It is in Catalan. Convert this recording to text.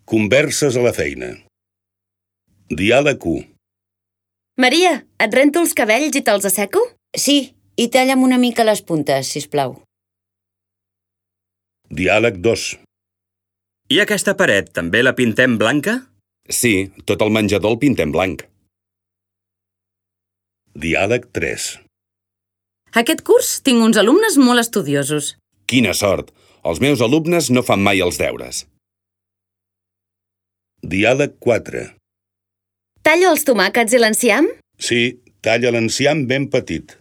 Converses a la feina. Diàleg 1. Maria, et rento els cabells i te'ls asseco? Sí, i talla'm una mica les puntes, sisplau. Diàleg 2. I aquesta paret també la pintem blanca? Sí, tot el menjador el pintem blanc. Diàleg 3. Aquest curs tinc uns alumnes molt estudiosos. Quina sort! Els meus alumnes no fan mai els deures. Diàleg 4. Tallo els tomàquets i l'enciam? Sí, talla l'enciam ben petit.